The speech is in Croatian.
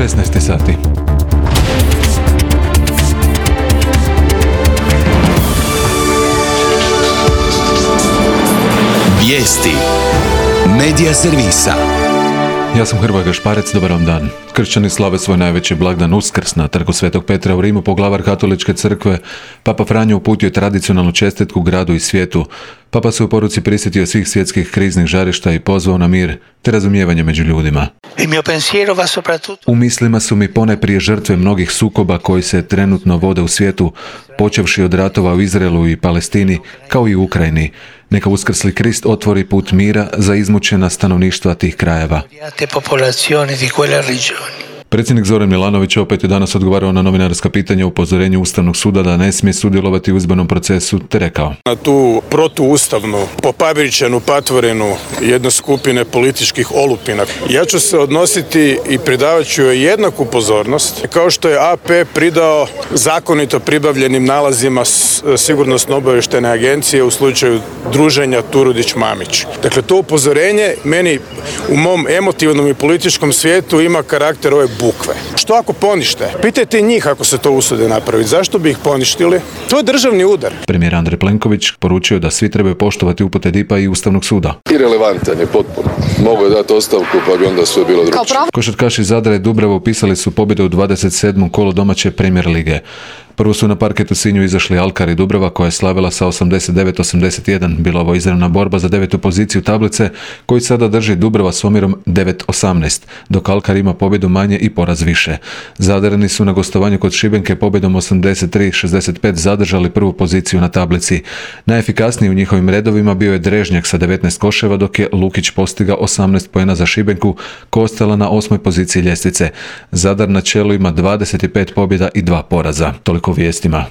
16 sati. Vijesti Medija servisa. Ja sam Hrvoje Gašparec, dobar vam dan. Kršćani slave svoj najveći blagdan Uskrs na trgu Svetog Petra u Rimu. Poglavar Katoličke crkve, Papa Franjo, uputio je tradicionalnu čestitku gradu i svijetu. Papa se u poruci prisjetio svih svjetskih kriznih žarišta i pozvao na mir te razumijevanje među ljudima. U mislima su mi ponajprije žrtve mnogih sukoba koji se trenutno vode u svijetu, počevši od ratova u Izraelu i Palestini, kao i u Ukrajini. Neka uskrsli Krist otvori put mira za izmučena stanovništva tih krajeva. Predsjednik Zoran Milanović opet je danas odgovarao na novinarska pitanja o upozorenju Ustavnog suda da ne smije sudjelovati u izbornom procesu, te rekao: Na tu protuustavnu, popabričenu, patvorenu jedne skupine političkih olupina. Ja ću se odnositi i pridavat ću joj jednaku pozornost, kao što je AP pridao zakonito pribavljenim nalazima Sigurnosno-obavještajne agencije u slučaju druženja Turudić-Mamić. Dakle, to upozorenje meni u mom emotivnom i političkom svijetu ima karakter ove bukve. Što ako ponište? Pitajte njih ako se to usude napraviti. Zašto bi ih poništili? To je državni udar. Premijer Andrej Plenković poručio da svi trebaju poštovati upute DIP-a i Ustavnog suda. Irelevantan je potpuno. Mogu je dati ostavku pa bi onda sve bilo drugčije. Košarkaši Zadra i Dubrava upisali su pobjedu u 27. kolu domaće Premier lige. Prvo su na parketu Sinju izašli Alkar i Dubrava koja je slavila sa 89-81. Bila ovo izravna borba za 9. poziciju tablice koju sada drži Dubrava s omjerom 9-18, dok Alkar ima pobjedu manje i poraz više. Zadareni su na gostovanju kod Šibenke pobjedom 83-65 zadržali prvu poziciju na tablici. Najefikasniji u njihovim redovima bio je Drežnjak sa 19 koševa, dok je Lukić postigao 18 poena za Šibenku koja je ostala na 8. poziciji ljestvice. Zadar na čelu ima 25 pobjeda i 2 poraza. Toliko vijestima.